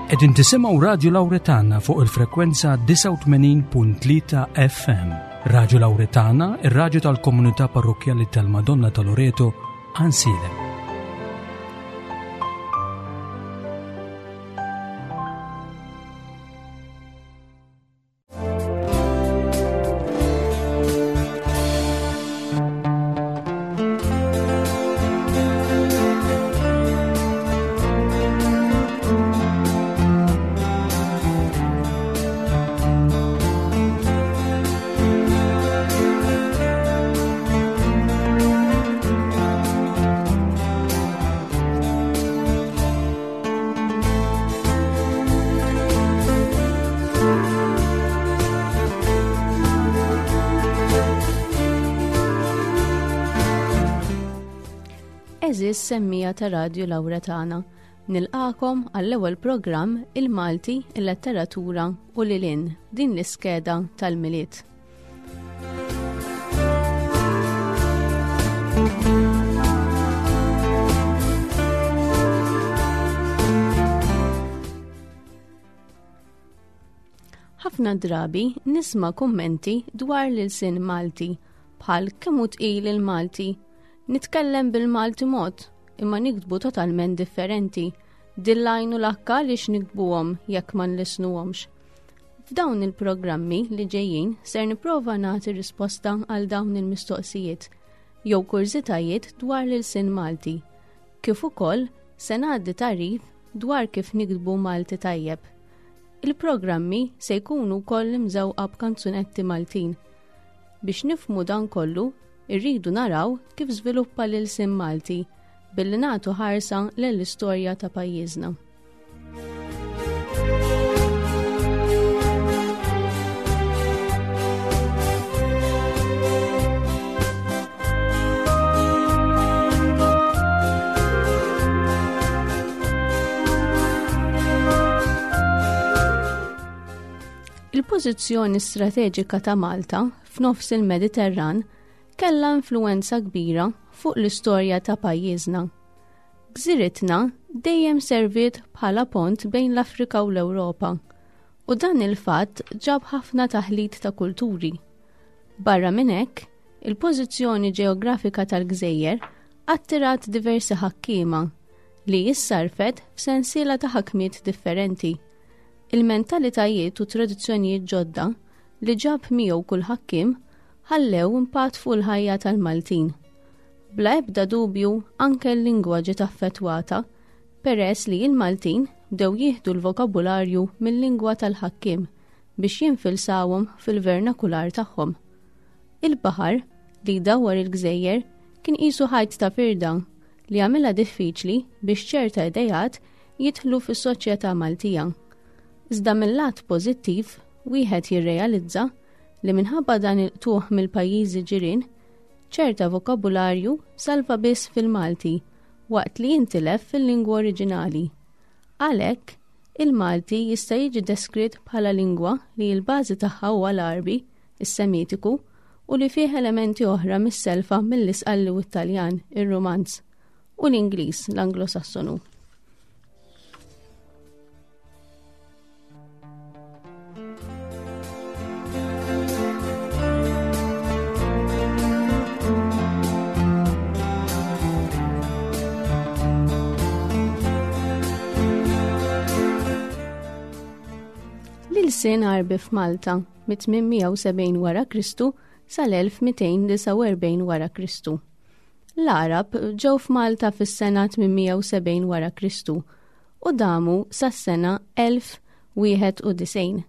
Qegħdin tisimgħu Radju Lawretana fuq il-frekwenza 89.3 FM. Radju Lawretana, ir-radju tal-komunità parrokkjali tal-Madonna ta' Loreto, Ansilem. Eżis semmija ta' Radju Laura tagħna. Nilqakom għall-ewwel programm Il-Malti, il-Letteratura u Lilin din l-iskeda tal-Milied. Ħafna drabi nisma' kummenti dwar l-ilsien Malti bħal kemm hu tqil il-Malti. Nitkellem bil-Malti mod, imma niktbu totalment differenti. Dillajn u lakka għaliex niktbuhom jekk ma nlisnuhomx. F'dawn il-programmi li ġejjin ser nipprova nagħti risposta għal dawn il-mistoqsijiet jew kurżitajiet dwar l-ilsien Malti, kif ukoll se ngħaddi tagħrif dwar kif niktbu Malti tajjeb. Il-programmi se jkunu wkoll imżewqa b'kanzunetti Maltin. Biex nifhmu dan kollu, irridu naraw kif żviluppa l-ilsien Malti billi nagħtu ħarsa lejn l-istorja ta' pajjiżna. Il-pożizzjoni strateġika ta' Malta f'nofs il-Mediterran kellha influwenza kbira fuq l-istorja ta' pajjiżna. Gżiritna dejjem serviet bħala pont bejn l-Afrika u l-Ewropa, u dan il-fatt ġab ħafna taħlit ta' kulturi. Barra minn hekk, il-pożizzjoni ġeografika tal-gżejjer attirat diversi ħakkiema li issarfet f'sensiela ta' ħakmiet differenti. Il-mentalitajiet u tradizzjonijiet ġodda li ġab miegħu kull ħakkiem ħallew impatt fuq il-ħajja tal-Maltin. Bla ebda dubju anke l-lingwa ġiet affettwata peress li l-Maltin bdew jieħdu l-vokabularju mil-lingwa tal-ħakkiem biex jinfilsawhom fil-vernakular tagħhom. Il-baħar li jdawwar il-gżejjer kien qisu ħajt ta' firda li għamilha diffiċli biex ċerta ideat jidħlu fis-soċjetà Maltija. Iżda mil-lat pożittiv wieħed jirrealizza li minħabba dan il-qtugħ mill-pajjiżi ġirien, ċerta vokabularju salva biss fil-Malti waqt li jintilef fil-lingwa oriġinali. Għalhekk, il-Malti jista' jiġi deskritt bħala lingwa li l-bażi tagħha huwa l-Għarbi, is-Semitiku, u li fih elementi oħra mis-selfa mill-Isqalli u t-Taljan, ir-Rumanz, u l-Ingliż, l-Anglo-Sassonu. L-ilsien Għarbi f'Malta mit-870 wara Kristu sal-1249 wara Kristu. L-Għarab ġew f'Malta fis-sena 870 wara Kristu u damu sas-sena 1091.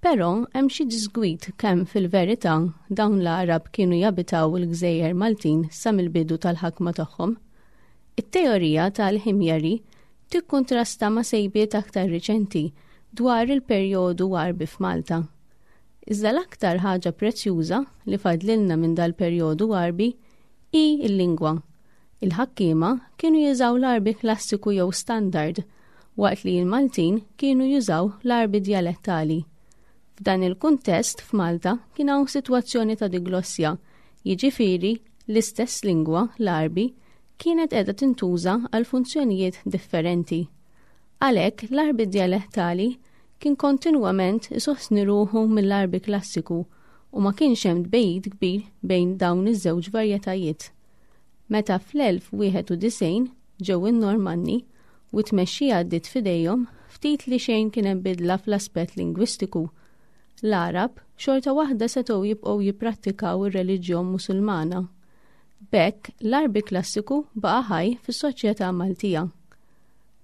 Però hemm xi diżgwid kemm fil-verità dawn l-Għarab kienu jabitaw il-gżejjer Maltin sa mill-bidu tal-ħakma tagħhom. It-teorija tal-Ħimjari tikkuntrasta ma' sejbiet aktar riċenti dwar il-perjodu Għarbi f'Malta. Iżda l-aktar ħaġa prezzjuża li fadlilna minn dal-perjodu Għarbi hi l-lingwa. Il-ħakkiema kienu jużaw l-Għarbi klassiku jew standard, waqt li l-Maltin kienu jużaw l-Għarbi djalettali. F'dan il-kuntest f'Malta kien hawn sitwazzjoni ta' diglossja, jiġifieri l-istess lingwa, l-Għarbi, kienet qiegħda tintuża għal funzjonijiet differenti. Għalhekk l-Għarbi djalettali kien kontinwament isostni ruħu mill-Għarbi klassiku u ma kienx hemm tbegħid kbir bejn dawn iż-żewġ varjetajiet. Meta fl-1091 ġew in-Normanni u t-tmexxija għaddiet f'idejhom, ftit li xejn kien hemm bidla fl-aspett lingwistiku. L-Għarab xorta waħda setgħu jibqgħu jipprattikaw ir-reliġjon Musulmana. B'hekk, l-Għarbi klassiku baqa' ħaj fis-soċjetà Maltija.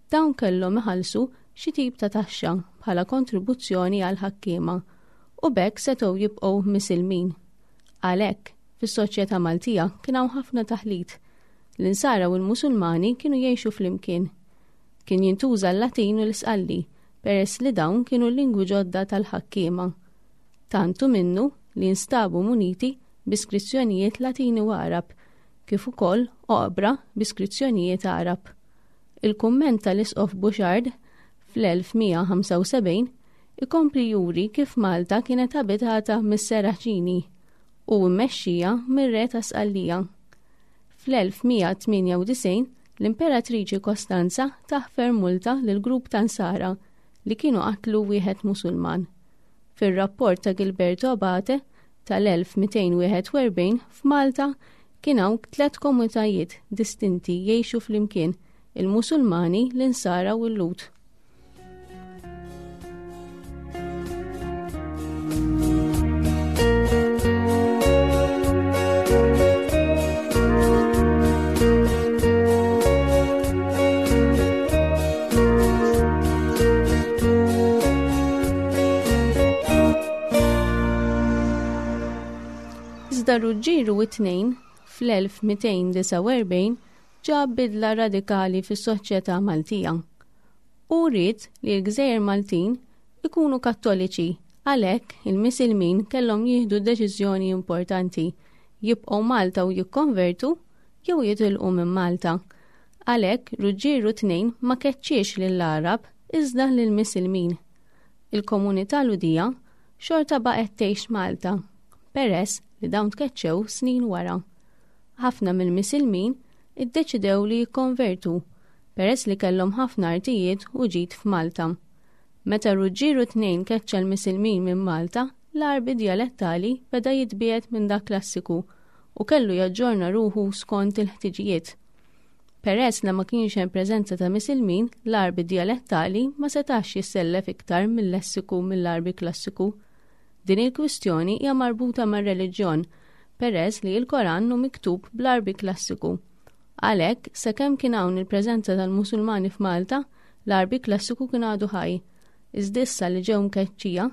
Dawn kellhom iħallsu xi tip ta' taxxa bħala kontribuzzjoni għall-ħakkiema u b'hekk setgħu jibqgħu Misilmin. Għalhekk, fis-soċjetà Maltija kien hawn ħafna taħlit. L-Insara u l-Musulmani kienu jgħixu flimkien. Kien jintuża l-Latin u l-Isqalli peress li dawn kienu l-lingwi ġodda tal-ħakkiema. Tant hu minnu li nstabu muniti bi skrizzjonijiet Latini u Għarab, kif ukoll oqbra bi skrizzjonijiet Għarab. Il-kumment tal-Isqof Bouchard fl-1175 ikompli juri kif Malta kienet abitata mis-Seraċini u mmexxija mir-re ta' Sqallija. Fl-1198 l-Imperatriċi Kostanza taħfer multa lil grupp ta' Nsara li kienu qatlu wieħed Musulman. Fir-rapport ta' Gilberto Abate tal-1241 f'Malta kien hawn tlet komunitajiet distinti jgħixu flimkien, il-Musulmani, l-Insara u l-Lhud. Iżda Ruġġieru it-Tnejn fl-1249 ġab bidla radikali fis-soċjetà Maltija. Hu ried li l-gżejjer Maltin ikunu Kattoliċi, għalhekk il-Misilmin kellhom jieħdu deċiżjoni importanti, jibqgħu Malta u jikkonvertu jew jitilqu minn Malta. Għalhekk Ruġġieru II ma keċċiex lill-Għarab iżda lill-Misilmin. Il-komunità Lhudija xorta baqgħet tgħix Malta, peress li dawn tkeċċew snin wara. Ħafna mill-Misilmin iddeċidew li jikkonvertu, peress li kellhom ħafna artijiet u ġid f'Malta. Meta Ruġġieru II keċċa l-Misilmin minn Malta, l-Għarbi djalettali beda jitbiegħed minn dak klassiku u kellu jaġġorna ruħu skont il-ħtiġijiet. Peress li ma kienx hemm preżenza ta' Misilmin, l-Għarbi djalettali ma setax jissellef iktar mil-lessiku mill-Għarbi klassiku. Din il-kwistjoni hija marbuta mar-reliġjon, peress li l-Koran hu miktub bl-Għarbi klassiku. Għalhekk, sakemm kien hawn il-preżenza tal-Musulmani f'Malta, l-Għarbi klassiku kien għadu ħaj. Iżda issa li ġew mkeċċija,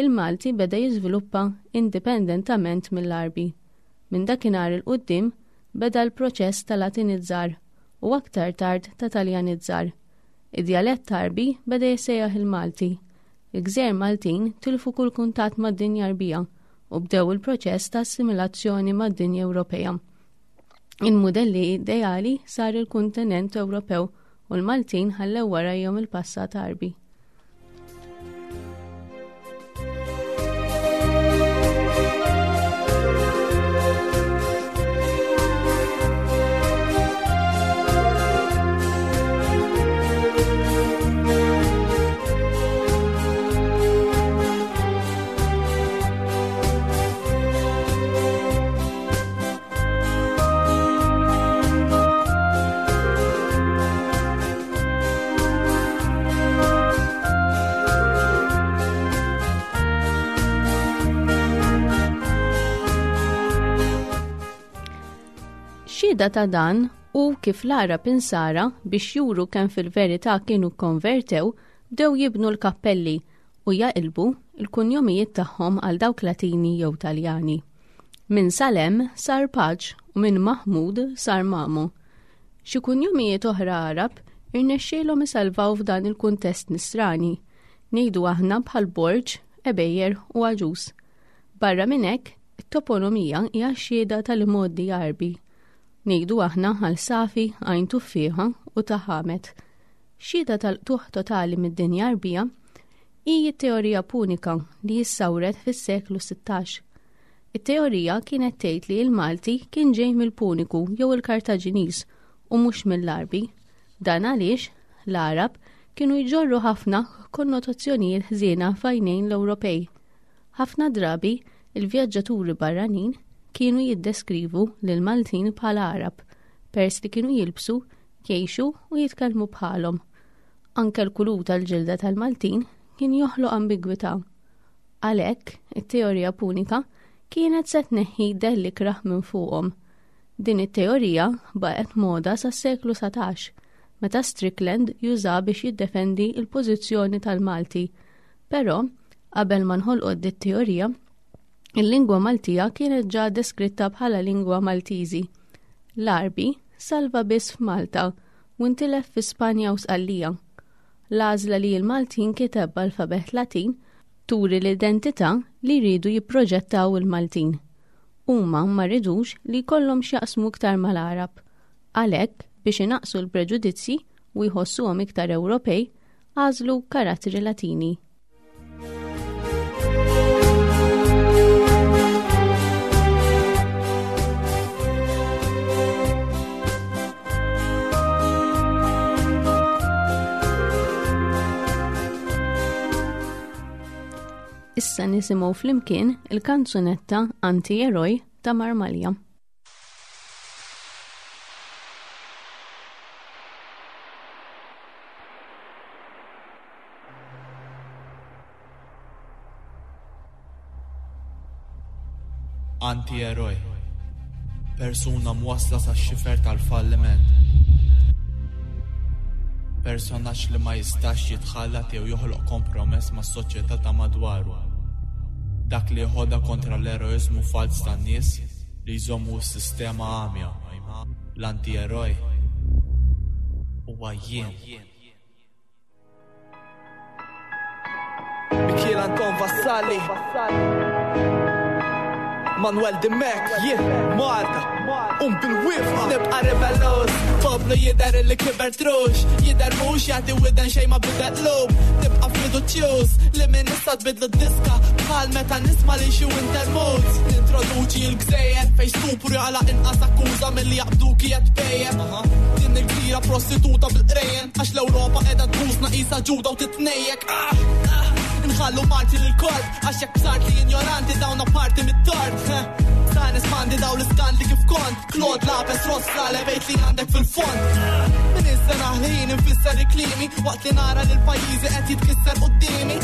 il-Malti beda jiżviluppa indipendentament mill-Għarbi. Minn dakinhar 'il quddiem beda l-proċess ta' Latinizzar u aktar tard ta' Taljanizzar. Id-djalett Għarbi beda jissejjaħ il-Malti. Il-gżejjer Maltin tilfu kull kuntatt mad-dinja Għarbija u bdew il-proċess ta' assimilazzjoni mad-dinja Ewropea. Il-mudelli ideali sar il-kuntinent Ewropew u l-Maltin ħallew warajhom il-passat Għarbi. Xhieda ta' dan hu kif l-Għarab Insara biex juru kemm fil-verità kienu kkonvertew bdew jibnu l-kappelli u jaqilbu l-kunjomijiet tagħhom għal dawk Latini jew Taljani. Minn Salem sar Paġ u minn Mahmud sar Mamo. Xi kunjomijiet oħra Għarab irnexxielhom isalvaw f'dan il-kuntest Nisrani, ngħidu aħna bħal Borg, Ebejer u Aġus. Barra minn hekk, it-toponomija hija xhieda tal-imgħoddi Għarbi. Ngħidu aħna għal Safi, Għajn Tuffieħa u Ta' Ħamed. Xhieda tal-qtugħ totali mid-dinja Għarbija hi t-teorija Punika li issawret fis-seklu 16. It-teorija kienet tgħid li l-Malti kien ġej mill-Puniku jew il-Kartaġiniż u mhux mill-Għarbi. Dan għaliex l-Għarab kienu jġorru ħafna konnotazzjonijiet ħżiena f'għajnejn l-Ewropej. Ħafna drabi, il-vjaġġaturi barranin kienu jiddeskrivu lill-Maltin bħala Għarab, peress li kienu jilbsu, jgħixu u jitkellmu bħalhom. Anke l-kulur tal-ġilda tal-Maltin kien joħloq ambigwità. Għalhekk, it-teorija punika kienet se tneħħi dell ikrah minn fuqhom. Din it-teorija baqgħet moda sas-seklu 19, meta Strickland juża biex jiddefendi l-pożizzjoni tal-Malti. Però, qabel ma nħolqot dit teorija, il-lingwa Maltija kienet ġa deskritta bħala lingwa Maltiżi. L-Għarbi salva biss f'Malta u ntilef fi Spanja u Sqallija. L-għażla li l-Malti jinkiteb b'alfabet Latin turi l-identità li jridu jipproġettaw il-Maltin. Huma ma ridux li jkollhom x'jaqsmu iktar mal-Għarab. Għalhekk, biex inaqqsu l-preġudizzji u jħossuhom iktar Ewropej, għażlu karattri Latini. Issa nisimgħu flimkien il-kanzunetta Anti-Eroj ta' Marmalja. Anti-eroj. Persuna mwassla sax-xifer tal-falliment. Personaġġ li ma jistax jitħallat jew joħloq kompromess mas-soċjetà ta' madwaru. Dak li jeħodha kontra l-eroiżmu falz tan-nies li jżommu s-sistema għamja. L-anti-eroj huwa jien. Mikiel Anton Vassalli Manuel Dimek, jien Malta Um bil-wifqa Nibqa rebellus Poplu jider li kiber trux Jider mux jagħti widen xejn ma bidel lub Tibqa fiduċjuż Li minn issa tbidlu d-diska Bħal meta nisma' li xi winter moods Nintroduċi l-gżejjer Fej stupru jaqla' inqas akkuża milli jaqbduki qed tpejjep Din il-gżira prostituta bil-qrejjen Għax l-Ewropa qiegħda tbusna qisha ġuda u titnejjek. Ah, ah, nħallu parti lil korp għax jekk bsart li ignoranti dawn parti mit-tort. Sa nespandi daw l-iskandli kif kont. Claude Lapes Rossa levejt li għandek fil-fond. Min is-sena ħin infisser il-klimi waqt li nara li l-pajjiżi qed jitkisser quddiemi.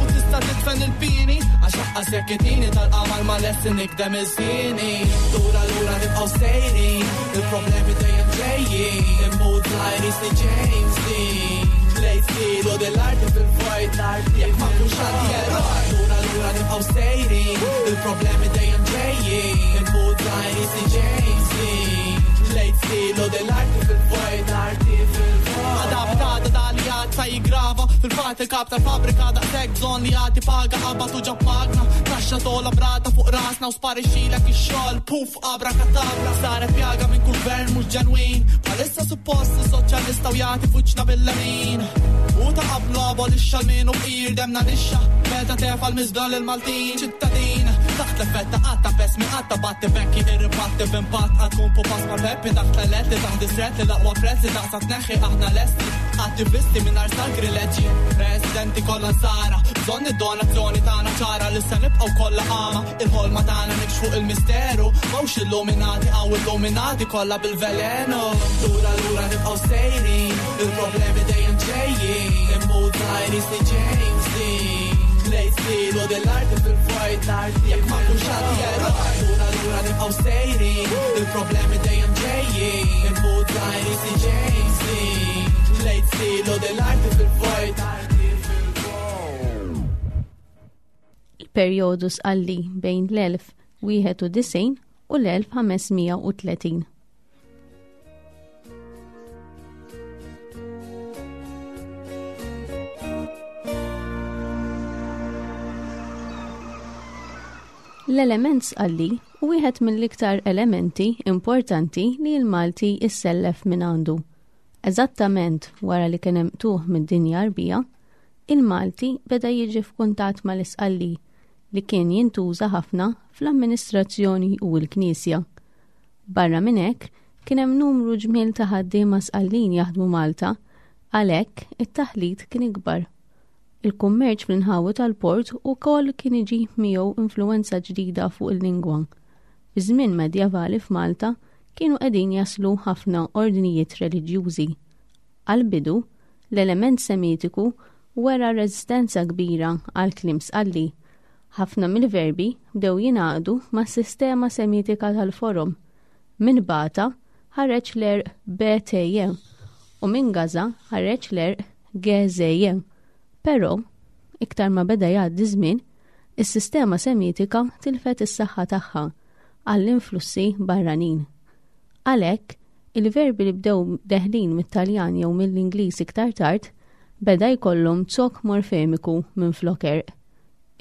U tista' titfen il-pini għax aqqas jekk itini tal-qamar ma lessi nikdem il-sini. Lura lura nibqgħu sejrin, il-problemi dejjem ġejjin. Immut żgħir jisni James Dean. Lejt stil u dell-arti fil-vojt, jekk ma nkunx anti-eroj. Lura lura nibqgħu sejrin, il-problemi dejjem ġejjin. Immut żgħir jisni James Dean. Lejt stil u dell-arti fil-vojt, arti fil-vojt. Għada b'għada li għad sa jiggrava Fil-fatt il-kap tal-fabbrika daqshekk bżonn li jagħti paga qabad u ġab magna. Taxxa tola brata fuq rasna u sparixxilek ix-xogħol. Puf abrakatabra saret pjaga minn kull gvern mhux ġenwin. Bħalissa suppost is-soċjalista u jagħti fuċna bil-lemin. U ta' qablu abolixxa l-min u fqir demna nixxa. Meta tefa' l-miżbla lill-Maltin ċittadin. Taħt l-effett ta' qatta pes mi qatta batti bekki irribatti b'impatt għad tkun pupas ma' Peppi taħt l-elett li taħt distret li l-aqwa prezz li daqsa tneħħi aħna lesti. Attivisti mingħajr sagrileġġi, residenti kollha nsara, bżonn id-donazzjoni tagħna ċara li se nibqgħu kollha għama, il-ħolma tagħna nikxfu il-misteru, mhux illuminati għaw illuminati kollha bil-velenu. Lura lura nibqgħu sejrin, il-problemi dejjem ġejjin, immut żgħir jisni James Dean. Lejt stil u dell-arti fil-vojt, jekk ma nkunx anti-eroj. Lura lura nibqgħu sejrin, il-problemi dejjem ġejjin, immut żgħir jisni James Dean. Lejt stil u dell-arti fil-vojt. Il-perjodu sqalli bejn l-1091 u l-1530. L-element sqalli hu wieħed mill-iktar elementi importanti li l-Malti issellef minn għandu. Eżattament wara li kien hemm qtugħ mid-dinja Għarbija, il-Malti beda jiġi f'kuntatt mal-Isqalli li kien jintuża ħafna fl-amministrazzjoni u l-Knisja. Barra minn hekk, kien hemm numru ġmiel ta' ħaddiema Sqallin jaħdmu Malta. Għalhekk, it-taħlit kien ikbar. Il-kummerċ fl-inħawi tal-port ukoll kien iġib miegħu influwenza ġdida fuq il-lingwa. Fi żmien medjevali f'Malta kienu qegħdin jaslu ħafna ordnijiet reliġjużi. Għall-bidu, l-element Semitiku wera reżistenza kbira għall-kliem Sqalli. Ħafna mill-verbi bdew jingħaqdu mas-sistema Semitika tal-forom. Minn Bata ħareġ l-għerq BTJ u minn Gaza ħareġ l-għerq GZJ. Però, iktar ma beda jgħaddi żmien, is-sistema Semitika tilfet is-saħħa tagħha għall-influssi barranin. Għalhekk, il-verbi li bdew deħlin mit-Taljan jew mill-Ingliż iktar tard beda jkollhom zokk morfemiku minflok għerq.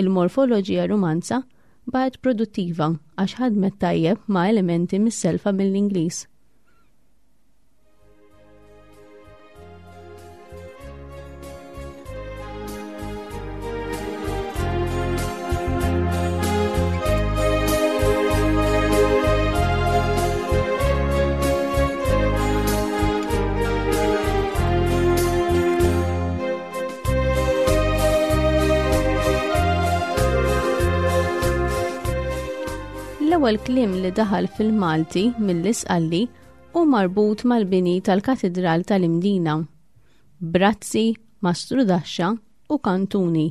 Il-morfoloġija Rumanza baqgħet produttiva għax ħadmet tajjeb ma' elementi mis-selfa mill-Ingliż. L-ewwel kliem li daħal fil-Malti mill-Isqalli hu marbut mal-bini tal-Katidral tal-Imdina. Brazzi, mastrudaxxa u kantuni.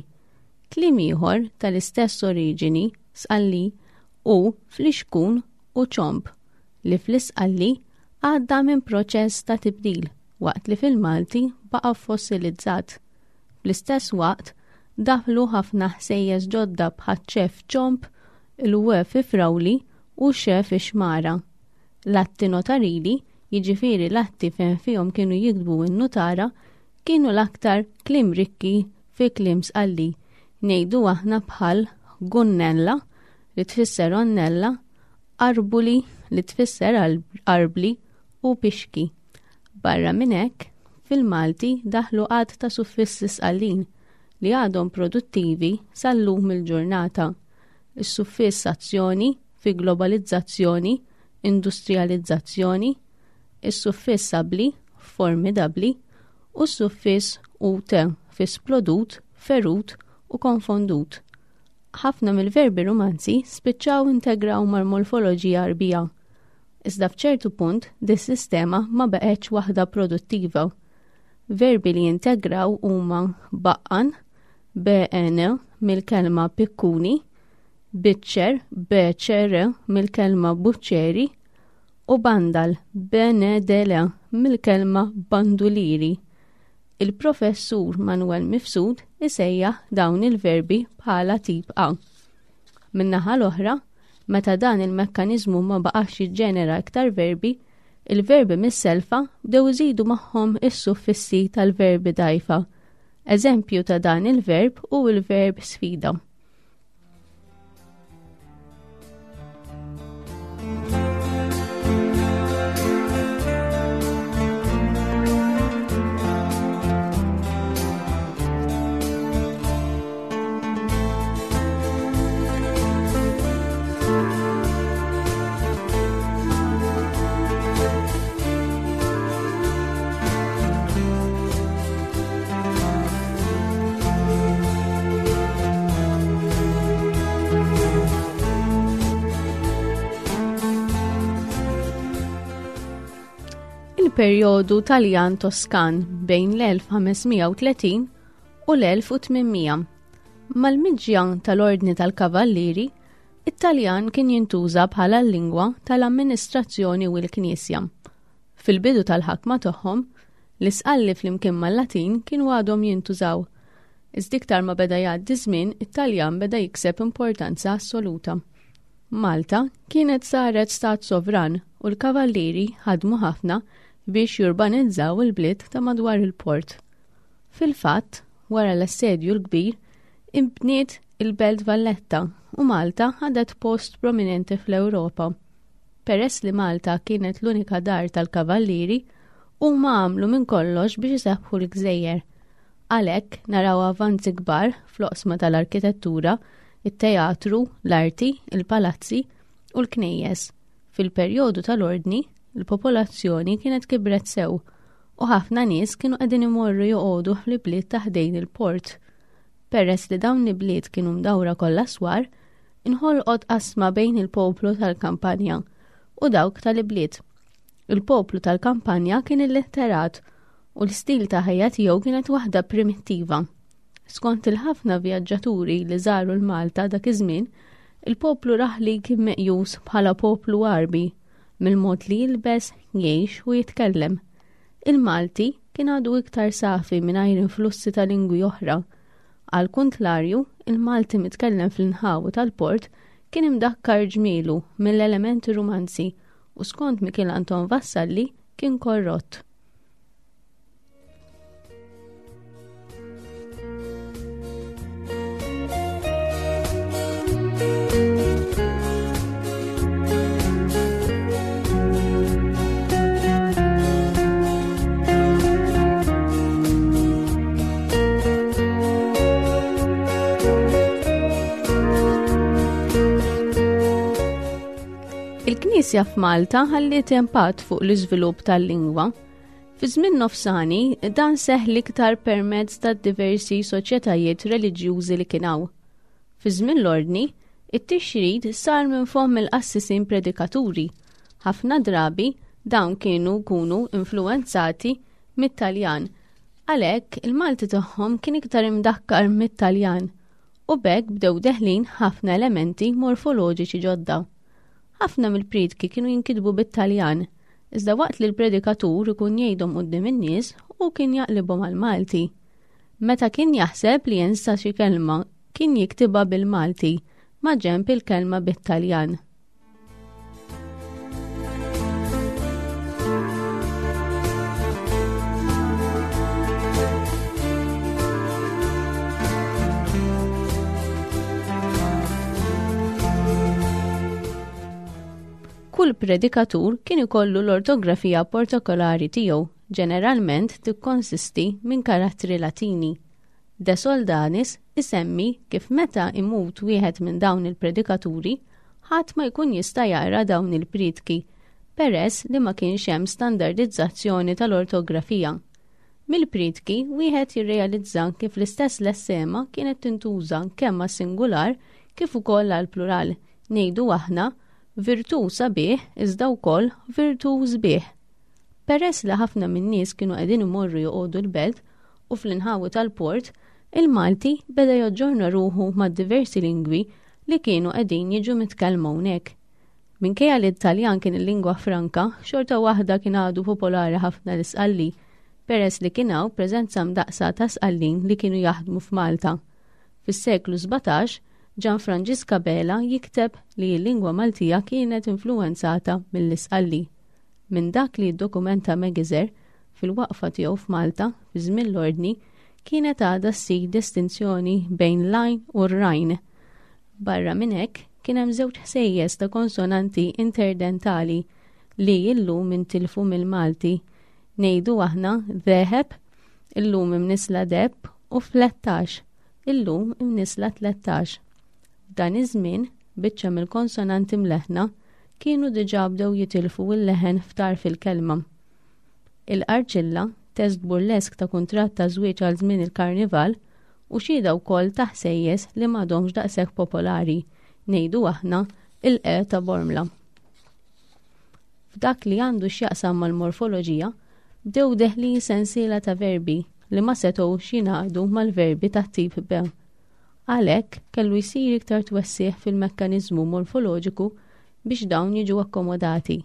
Kliem ieħor tal-istess oriġini Sqalli hu flixkun u ċomb li fl-Isqalli għadda minn proċess ta' tibdil waqt li fil-Malti baqa' fossilizzat. Fl-istess waqt daħlu ħafna ħsejjes ġodda bħaċ-ċef ċomb, il-w fi frawli u x fi xmara. L-atti notarili, jiġifieri l-atti fejn fihom kienu jiktbu n-nutara, kienu l-aktar kliem rikki fi kliem Sqalli, ngħidu aħna bħal gunnella li tfisser għonnella, arbuli li tfisser arbli u pixki. Barra minn hekk, fil-Malti daħlu għadd ta' suffissi Sqallin li għadhom produttivi sal-lum il-ġurnata. Is-suffiss azzjoni fi globalizzazzjoni, industrijalizzazzjoni, is-suffiss abbli f'formidabbli u s-suffiss ut fi splodut, ferut u konfondut. Ħafna mill-verbi Rumanzi spiċċaw integraw mal-morfoloġija Għarbija. Iżda f'ċertu punt dis-sistema ma baqgħetx waħda produttiva. Verbi li jintegraw huma baqqan, BN mill-kelma pikkuni, biċċer, BCR mill-kelma buċċeri, u bandal, BNDL mill-kelma banduliri. Il-Professur Manuel Mifsud isejjaħ dawn il-verbi bħala tip A. Min-naħa l-oħra, meta dan il-mekkaniżmu ma baqax jiġġenera iktar verbi, il-verbi mis-selfa bdew iżidu magħhom is-suffissi tal-verbi dgħajfa. Eżempju ta' dan il-verb hu l-verb sfida. Il-perjodu Taljan Toskan bejn l-1530 u l-1800. Mal-miġja tal-Ordni tal-Kavallieri, it-Taljan kien jintuża bħala l-lingwa tal-amministrazzjoni u l-Knisja. Fil-bidu tal-ħakma tagħhom, l-Isqalli flimkien mal-Latin kienu għadhom jintużaw. Iżda iktar ma beda jgħaddi żmien, it-Taljan beda jikseb importanza assoluta. Malta kienet saret stat sovran u l-kavallieri ħadmu ħafna biex jurbanizzaw il-bliet ta' madwar il-port. Fil-fatt, wara l-Assedju l-Kbir, inbniet il-Belt Valletta u Malta ħadet post prominenti fl-Ewropa. Peress li Malta kienet l-unika dar tal-Kavallieri, huma għamlu minn kollox biex isebbħu l-gżejjer. Għalhekk naraw avanzi kbar fl-oqsma tal-arkitettura, it-teatru, l-arti, il-palazzi u l-knejjes. Fil-perjodu tal-Ordni, il-popolazzjoni kienet kibret sew. u ħafna nies kienu qegħdin imorru joqogħdu fl-ibliet ta' ħdejn il-port. Peress li dawn l-ibliet kienu mdawra kollha swar, inħolqot qasma bejn il-poplu tal-kampanja u dawk tal-ibliet. Il-poplu tal-kampanja kien illitterat u l-istil ta' ħajja tiegħu kienet waħda primittiva. Skont il-ħafna vjaġġaturi li żaru l-Malta dak iż-żmien, il-poplu raħli kien meqjus bħala poplu Għarbi mill-mod li jilbes, jgħix u jitkellem. Il-Malti kien għadu iktar safi mingħajr influssi ta' lingwi oħra. Għal kuntlarju, il-Malti mitkellem fl-inħawi tal-port kien imdakkar ġmielu mill-elementi rumanzi u skont Mikiel Anton Vassalli kien korrott. Il-Knisja f'Malta ħalliet impatt fuq l-iżvilupp tal-lingwa. Fi żmien nofsani, dan seħħ l-iktar permezz ta' diversi soċjetajiet reliġjużi li kien hawn. Fi żmien l-Ordni, it-tixrid sar minn fomm il-qassisin predikaturi. Ħafna drabi dawn kienu jkunu influwenzati mit-Taljan. Għalhekk, il-Malti tagħhom kien iktar imdakkar mit-Taljan u b'hekk bdew deħlin ħafna elementi morfoloġiċi ġodda. Ħafna mill-priedki kienu jinkitbu bit-Taljan, iżda waqt li l-predikatur ikun jgħidhom quddiem in-nies hu kien jaqlibhom għall-Malti. Meta kien jaħseb li jinsa xi kelma, kien jiktibha bil-Malti ma' ġenb il-kelma bit-Taljan. Kull predikatur kien ikollu l-ortografija portokolari tiegħu, ġeneralment tikkonsisti minn karattri Latini. De Soldanis isemmi kif meta imut wieħed minn dawn il-predikaturi, ħadd ma jkun jista' jaqra dawn il-priedki, peress li ma kienx hemm standardizzazzjoni tal-ortografija. Mill-priedki wieħed jirrealizza kif l-istess lessema kienet tintuża kemm għas-singular kif ukoll għall-plural, ngħidu aħna, virtù sabiħ iżda wkoll virtù sbieħ. Peress li ħafna min-nies kienu qegħdin imorru joqogħdu l-belt u fl-inħawi tal-port, il-Malti beda jaġġorna ruħu mad-diversi lingwi li kienu qegħdin jiġu mitkellma hawnhekk. Minkejja li t-Taljan kien il-lingwa franka, xorta waħda kien għadu popolari ħafna l-Isqalli, peress li kien hawn preżenza mdaqqsa ta' Sqallin li kienu jaħdmu f'Malta. Fis-seklu 17, Ġan Franġisk Abela jikteb li l-lingwa Maltija kienet influwenzata mill-Isqalli. Minn dak li jiddokumenta Megiser, fil-waqfa tiegħu f'Malta fi żmien l-Ordni, kienet għadha ssir distinzjoni bejn l-għajn u r-rajn. Barra minn hekk, kien hemm żewġ ħsejjes ta' konsonanti interdentali li illum intilfu mill-Malti. Ngħidu aħna deheb, illum imnissla deheb, u flettax, illum imnissla tlettax. F'dan iż-żmien, biċċa mill-konsonanti mleħħna kienu diġà bdew jitilfu l-leħen f'tarf il-kelma. Il-Qarċilla, test burlesk ta' kuntratt ta' żwieġ għal żmien il-Karnival, u xhieda wkoll ta' ħsejjes li m'għadhomx daqshekk popolari, ngħidu aħna, il-E ta' Bormla. F'dak li għandu x'jaqsam mal-morfoloġija, bdew deħlin sensiela ta' verbi li ma setgħux jingħaqdu mal-verbi tat-tip B. Għalhekk, kellu jsir iktar twessigħ fil-mekkaniżmu morfoloġiku biex dawn jiġu akkomodati.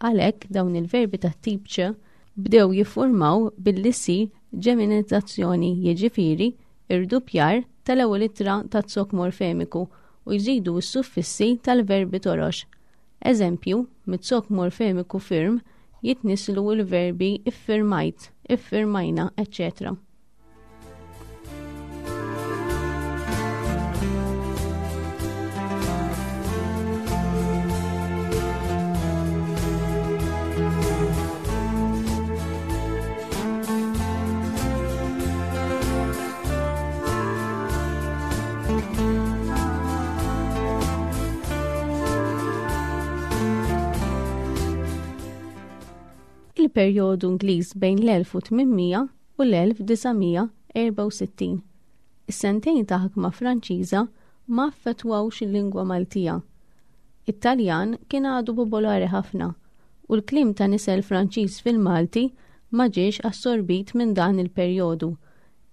Għalhekk, dawn il-verbi tat-tip ċ bdew jiffurmaw billi ssir ġeminizzazzjoni, jiġifieri irduppjar tal-ewwel ittra taz-zokk morfemiku u jżidu s-suffissi tal-verbi torox. Eżempju, miz-zokk morfemiku firm jitnisslu l-verbi iffirmajt, iffirmajna, eċċetera. perjodu Ingliż bejn l-1800 u l-1964. Is-sentejn ta' ħakma Franċiża ma affettwawx il-lingwa Maltija. It-Taljan kien għadu popolari ħafna u l-kliem ta' nisel Franċiż fil-Malti ma ġiex assorbit minn dan il-perjodu,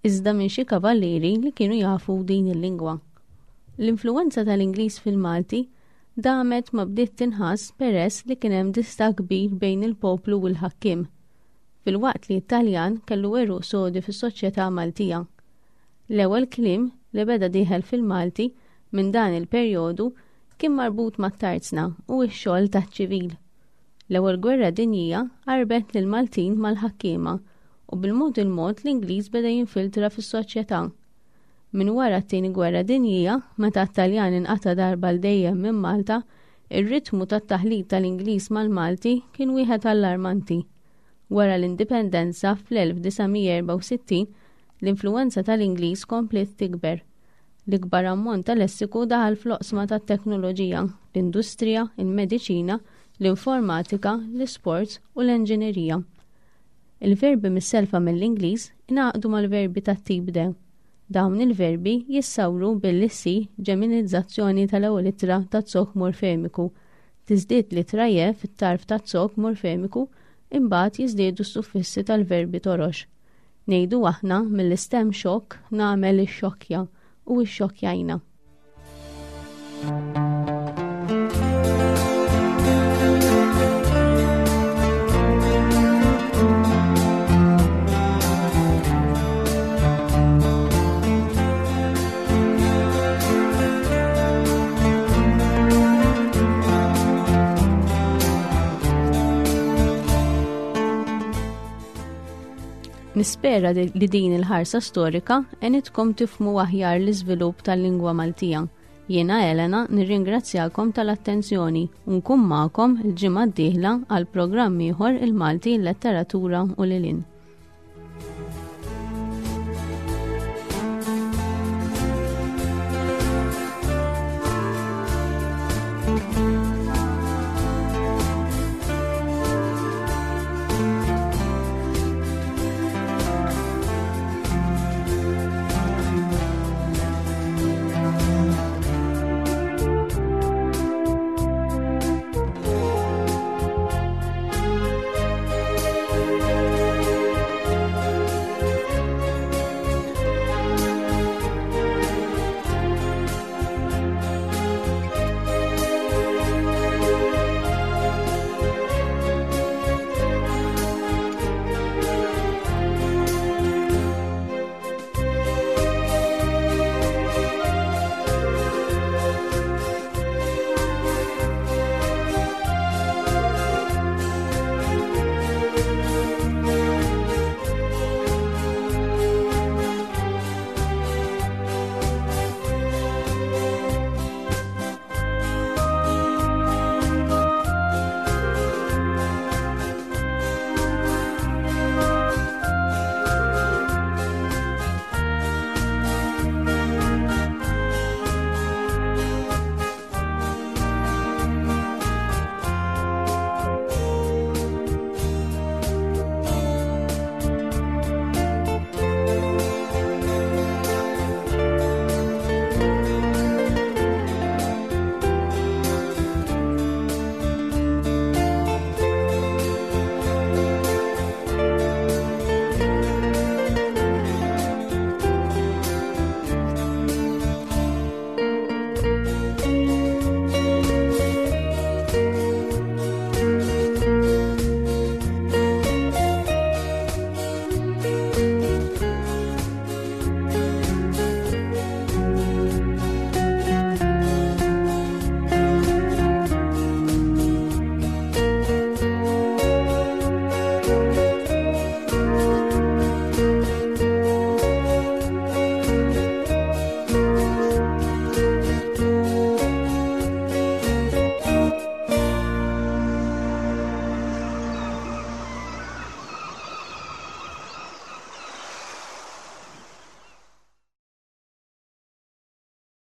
iżda minn xi kavallieri li kienu jafu din il-lingwa. L-influwenza tal-Ingliż fil-Malti damet ma bdiet tinħass peress li kien hemm distakk kbir bejn il-poplu u l-ħakkiem, filwaqt li t-Taljan kellu għeruq sodi fis-soċjetà Maltija. L-ewwel kliem li beda dieħel fil-Malti minn dan il-perjodu kien marbut mat-tarzna u x-xogħol taċ-ċivil. L-Ewwel Gwerra Dinjija qarbet lill-Maltin mal-ħakkiema u bil-mod il-mod l-Ingliż beda jinfiltra fis-soċjetà. Minn wara t-Tieni Gwerra Dinjija, meta t-Taljan inqata' darba għal dejjem minn Malta, ir-ritmu tat-taħlit tal-Ingliż mal-Malti kien wieħed allarmanti. Wara l-Indipendenza fl-1964, l-influwenza tal-Ingliż kompliet tikber. L-ikbar ammont ta' lessiku daħal fl-oqsma tat-teknoloġija, l-industrija, il-mediċina, l-informatika, l-isports u l-enġinerija. Il-verbi missellfa mill-Ingliż ingħaqdu mal-verbi tat-tip de. Dawn il-verbi jissawru billi ssir ġeminizzazzjoni tal-ewwel ittra taz-zokk morfemiku, tiżdied l-ittra je fit-tarf taz-zokk morfemiku imbagħad jiżdiedu s-suffissi tal-verbi torox. Ngħidu aħna mill-istem xokk nagħmel ixxokkja u ixxokkjajna. Nispera li din il-ħarsa storika għenitkom tifhmu aħjar l-iżvilupp tal-lingwa Maltija. Jiena Elena nirringrazzjakom tal-attenzjoni u nkun magħkom il-ġimgħa d-dieħla għal programm ieħor il-Malti, il-Letteratura u lil hinn.